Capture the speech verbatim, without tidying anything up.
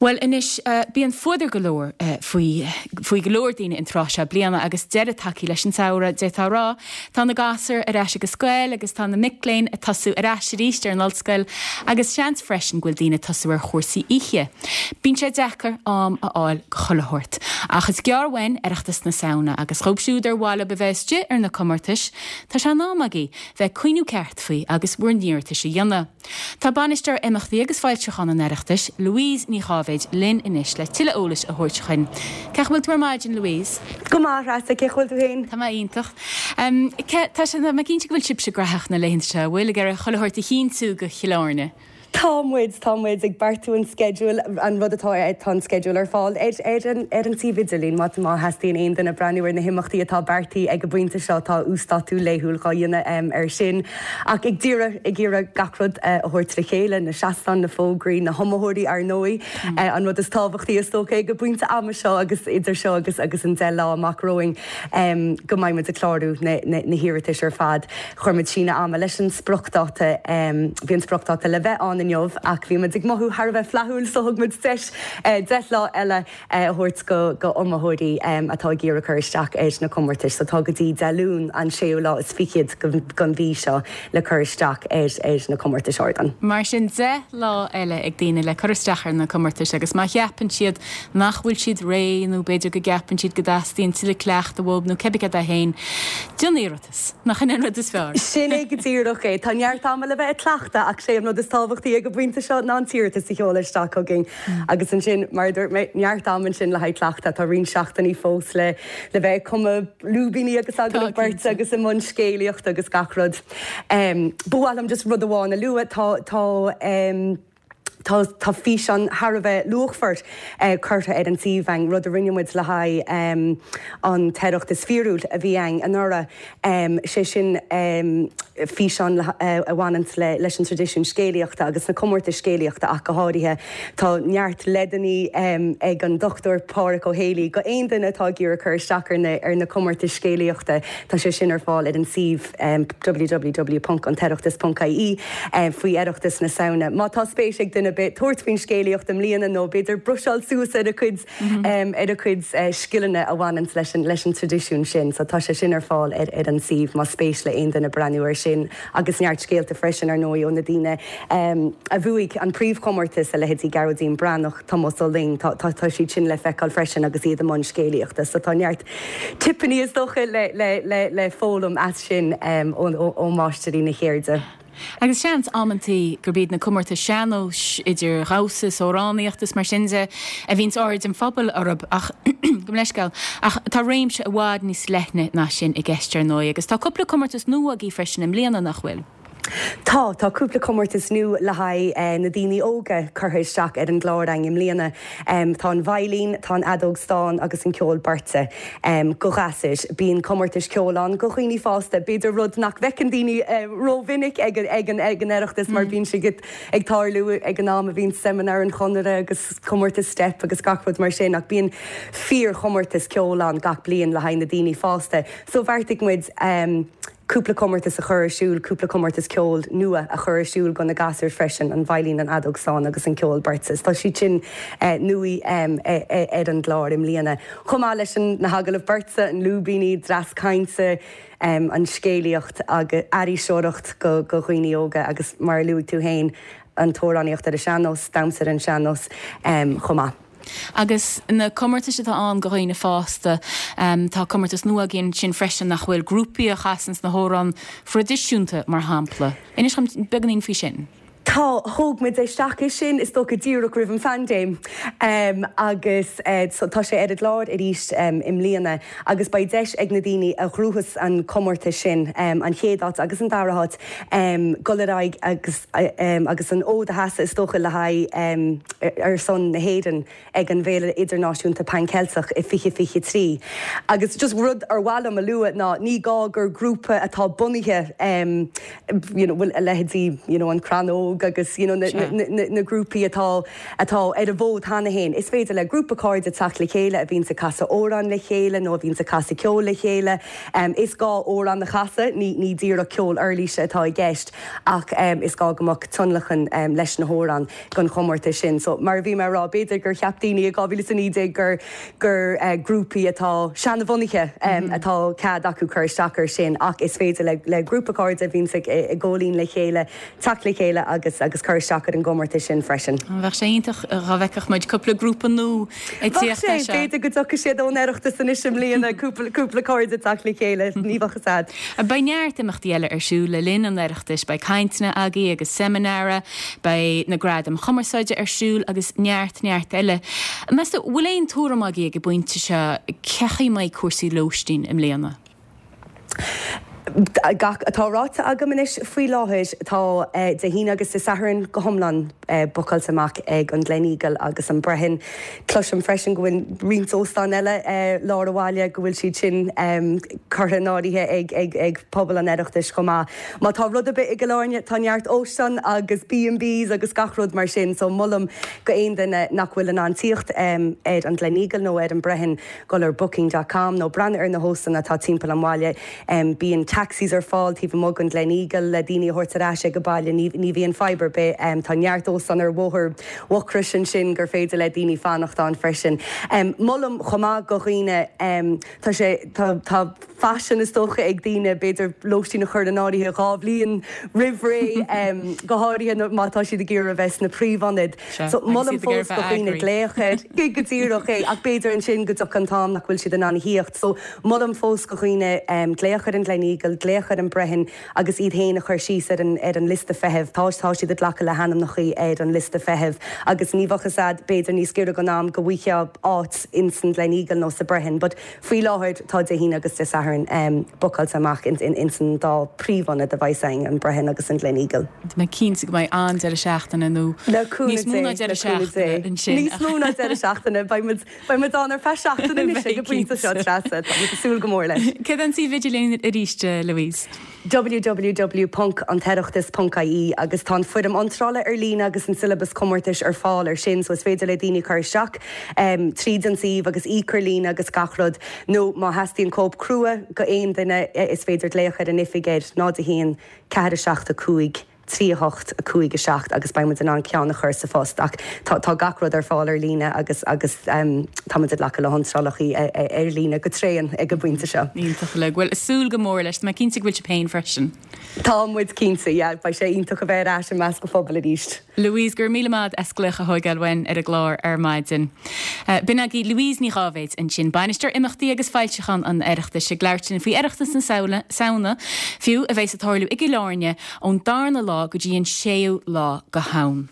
Well anois uh, bíonn fuadar go leor uh, faoi faoi go leor daoine an tráth seo bliana agus deireadh tagtha leis an samhradh d'fhéadfá a rá, Tá na gasúir ar ais ag an scoil agus tá na mic léinn ag tosú ar ais arís ar an ollscoil agus seans freisin go bhfuil daoine ag tosú ar chúrsaí oíche. Bíonn sé deacair am a fháil go chuile shórt. Ach is gearr uainn Oireachtas na Samhna agus dóibh siúd ar mhaith leo a bheith istigh ar na comórtais, Tá sé in am agaibh bheith ag cuimhneamh ceart faoi agus bhur n-iarratais a dhéanamh. Tá bainisteoir imeachtaí agus foilseachán an Oireachtais, Louise Ní Cháivéid linn anois le tuilleadh eolais a thabhairt chugainn. Cén chaoi a bhfuil tú ar maidin Louise? Go maith Treasa cén chaoi a bhfuil tú féin? Tá mé iontach. Um, tá sé mé cinnte go bhfuil sibhse gnóthach na laethanta seo bhfuil ag iarraidh chuile shórt a chinntiú go Chill Airne. Tá muid tá muid ag beartú an schedule an rud atá tá an schedule ar fáil ar ar an ar an suíomh idirlín má má theastaíonn aon duine breathnú ar na himeachtaí atá beartaithe ag an bpointe seo tá uasdátú laethúil á dhéanamh ar sin ach ag iarraidh ag iarraidh gach rud a thabhairt le chéile na seastáin na fógraí na hiomaitheoirí ar ndóigh an rud is tábhachtaí is dócha ag an bpointe ama seo agus idir seo agus agus an deich lá amach romhainn um, go mbeidh muid ag clárú na, na, na hiarratais ar fad chuir muid síneadh ama leis an spriocdháta um, bhí an spriocdháta le bheith an inniu ach bhí muid ag mothú thar a bheith flaithiúil so thug muid deis uh, deich lá eile uh, thabhairt go go iomaitheoirí um, atá ag iarraidh cur isteach ar na comórtais, so tá go dtí Dé Luain an séú lá is fichead den mhí seo le cur isteach ar ar na comórtais ardan. Mar sin deich lá eile ag daoine le cur isteach ar na comórtais agus má cheapann siad nach bhfuil siad réidh nó b'fhéidir go gceapann siad go dteastaíonn tuilleadh cleachtaidh uathu nó cibé cad é féin. Déan iarratas nach in an rud is fearr. Sin é go díreach é Tá neart ama le bheith ag cleachtadh ach sé an rud is tábhachtaí ag an bpointe seo ná an t-iarratas a sheoladh isteach chugainn agus ansin mar dúirt mé neart ama sin le haghaidh cleachtadh tá roinnt seachtainí fós le le bheith cumadh lúbíní agus agallamh beirt agus i mbun scéalaíocht agus gach rud. Um, B'fhéidir just rud amháin a lua tá tá um, Tá tá físeán thar a bheith luachmhar eh, curtha ar an suíomh rud a rinne muid le haghaidh um, an tOireachtas Fíorúil a bhí ann anuraidh um, sé sin um, físeán uh, a bhaineann le, leis an traidisiún scéalaíochta agus na comórtais scéalaíochta ach go háirithe Tá neart leideanna um, ag an Dr Pádraig Ó Héalaí go aon duine atá ag iarraidh cur isteach ar na, ar na comórtais scéalaíochta Tá sé sin ar fáil ar an suíomh um, www.antoireachtas.ie um, faoi Oireachtas na Samhna. Má tá spéis ag duine bit tabhairt faoin scéalaíocht i mbliana nó b'fhéidir bruiseáil suas ar a cuid um, ar a cuid uh, scileanna a bhaineann leis an leis an traidisiún sin, so tá sé sin ar fáil ar, ar an suíomh má spéis le aon duine breathnú ar sin agus neart scéalta freisin ar ndóigh ó na daoine um, a bhuaigh an príomhchomórtas a leithéidí Gearóidín Breathnach Tomás Ó Luing tá tá tá siad sin le feiceáil freisin agus iad i mbun scéalaíochta, so tá neart tipeanna is dócha le, le, le, le foghlaim as sin um, ó, ó, ó mháistrí na ceirde. Agus seans amantaí gurb iad na comórtais sean-nóis idir dhamhsa amhránaíocht is mar sin de a bhíonn aird an phobail orthu ach gabh mo leithscéal ach tá réimse i bhfad níos leithne ná sin i gceist ar ndóigh agus tá cúpla comórtas nua agaibh freisin i mbliana nach bhfuil. Tá tá cúpla comórtas nua le haghaidh eh, na daoine óga curtha isteach ar an gclár againn i mbliana. Um, tá an veidhlín, tá an fheadóg stáin agus an ceol beirte. Um, go gasúir bíonn comórtas ceoil ann go dhaoine fásta, b'fhéidir rud nach bhfeiceann daoine uh, rómhinic ag ag an ag an Oireachtas mar bíonn sé ag tarlú ag an am a bhíonn seimineár an Chonartha agus comórtas steip agus gach rud mar sin ach bíonn fíor chomórtas ceoil ann gach bliain le haghaidh na daoine fásta. So bheartaigh muid um, cúpla comórtas a chur ar siúl, cúpla comórtas ceoil nua a chur ar siúl go na gasúir freisin an veidhlín an fheadóg stáin agus an ceol beirte. Tá siad sin eh, nua um, ar an gclár i mbliana. Chomh maith leis an na hagallaimh beirte an lúbíní, dreas cainte, um, an scéalaíocht agus iriseoireacht go go dhaoine óga agus mar luaigh tú féin an t-amhránaíocht ar an sean-nós, damhsa ar an sean-nós um, chomh maith. Agus na comórtais atá ann go dhaoine fásta um, tá comórtas nua againn sin freisin nach bhfuil grúpaí a chasann na hamhráin thraidisiúnta mar shampla. Inis beagáinín faoi sin. Tá thóg muid isteach é sin is dócha díreach roimh an phaindéim um, agus uh, so, tá sé ar an gclár arís um, i mbliana agus beidh deis ag na daoine a ghnóthaigh an comórtas sin um, an chéad áit agus an dara háit um, dul ar aghaidh agus, um, agus an fód a sheasamh is dócha le haghaidh um, ar son na hÉireann ag an bhFéile Idirnáisiúnta Pan Cheilteach i fiche fiche trí. Agus just rud ar mhaith liom a lua ná ní gá gur grúpa atá bunaithe um, you know, a leithéidí you know, an Crann Óg óg agus you know, na, na, na, na grúpaí atá atá ar an bhfód cheana féin. Is féidir le grúpa cairde teacht le chéile a bhíonn ag casadh amhrán le chéile nó a bhíonn ag casadh ceol le chéile. Um, is gá amhrán a chasadh ní ní díreach ceol uirlise atá i gceist ach um, is gá go mbeadh tionlacan um, leis na hamhráin don chomórtas sin. So mar bhí mé ag rá b'fhéidir gur cheap daoine i dhá mhíle naoi déag gur gur uh, grúpaí atá seanbhunaithe um, mm -hmm. atá cead acu cur isteach air sin ach is féidir le, le grúpa cairde a bhíonn ag góilín le chéile teacht le chéile agus agus cur isteach ar an gcomórtas sin freisin. Bheadh sé iontach dá bhfeicfeadh muid cúpla grúpa nua ag tíocht sé b'fhéidir go dtiocfaidh siad ón Oireachtas anois i mbliana cúpla cairde teacht le chéile ní bheadh sad. Beidh neart imeachtaí eile ar siúl le linn an Oireachtais beidh cainteanna agaí agus seimineáir, beidh na gradaim chumarsáide ar siúl agus neart neart eile. Meas tú bhfuil aon tuairim agaí ag an bpointe seo cén chaoi a mbeidh cúrsaí lóistín i mbliana. Gach atá ráite agam anois faoi láthair tá eh, Dé hAoine agus Dé Sathairn go hiomlán eh, bookáilte amach ag an Gleneagle agus an Brehon. Cloisim freisin go bhfuil roinnt óstán eile eh, lár an bhaile go bhfuil siad sin um, curtha in áirithe ag, ag, ag pobal an Oireachtais chomh maith. Má tá rud ar bith i gCill Airne tá neart óstán agus B&Bs agus gach rud mar sin, so molaim go aon duine nach bhfuil in ann tíocht um, ar an Gleneagle nó ar an Brehon gul ar booking.com nó breathnú ar na hóstáin atá timpeall an bhaile um, bíonn taxis ar fáil taobh amuigh den Gleneagle le daoine a thabhairt ar ais ag an baile ní, ní bhíonn fadhb ar bith um, tá neart óstán ar bhóthar Mhucrois ansin gur féidir le daoine fanacht ann freisin. Um, Molaim chomh maith go dhaoine um, tá sé tá, tá faisean is dócha ag daoine b'fhéidir lóistín a chur in áirithe dhá bhliain roimh ré um, go háirithe má tá siad ag iarraidh bheith sna príomhionaid. So molaim fós go dhaoine glaoch air go díreach é ach b'fhéidir ansin go dtiocfaidh an t-am nach bhfuil siad in ann tíocht. So molaim fós go dhaoine um, glaoch ar an Gleneagle, glaoch ar an Brehon agus iad féin a chur síos ar an, ar an liosta feithimh tá tá siad ag glacadh le hainmneacha ar an liosta feithimh agus ní bheadh sad b'fhéidir níos giorra don am go bhfaighfeá áit in san Gleneagle nó sa Brehon, but faoi láthair tá Dé hAoine agus Dé Sathairn um, bookáilte amach in, in, in san dá príomhionad a bheas ann an Brehon agus an Gleneagle. Tá mé cinnte go mbeidh an deireadh seachtaine nó níos mó ná deireadh seachtaine ansin. Níos mó ná deireadh seachtaine beidh muid ann ar feadh seachtaine anois ag an bpointe seo Treasa Tá súil go mór leis. Cad an suíomh idirlín arís Louise? www.antoireachtas.ie agus tá an foirm iontrála ar líne agus an siollabas comórtais ar fáil ar sin, so is féidir le daoine cur isteach um, tríd an suíomh agus íoc ar líne agus gach rud nó má theastaíonn cóip crua go aon duine is féidir glaoch ar an oifig ar náid a haon ceathair a seacht a cúig. trí hocht a cúig a seacht agus beidh in ann ceann a chur sa phost ach tá tá gach rud ar fáil ar líne agus agus um, táimid ag glacadh le hiontrálacha ar líne go tréan ag an bpointe seo. Iontach le bhfuil súil go mór leis mé cinnte bhfuil féin freisin. Tá muid cinnte beidh sé iontach a bheith ar ais i measc an phobail arís. Louise gur míle maith as glaoch a thógáil uainn ar an gclár ar maidin. Uh, B'in agaibh Louise Ní Dháibhéid ansin bainisteoir imeachtaí agus foilseachán an Oireachtais ag labhairt faoi Oireachtas na Samhna fiú a bheas ag tarlú i gCill Airne ón darna lá go dtí an séú lá go ham.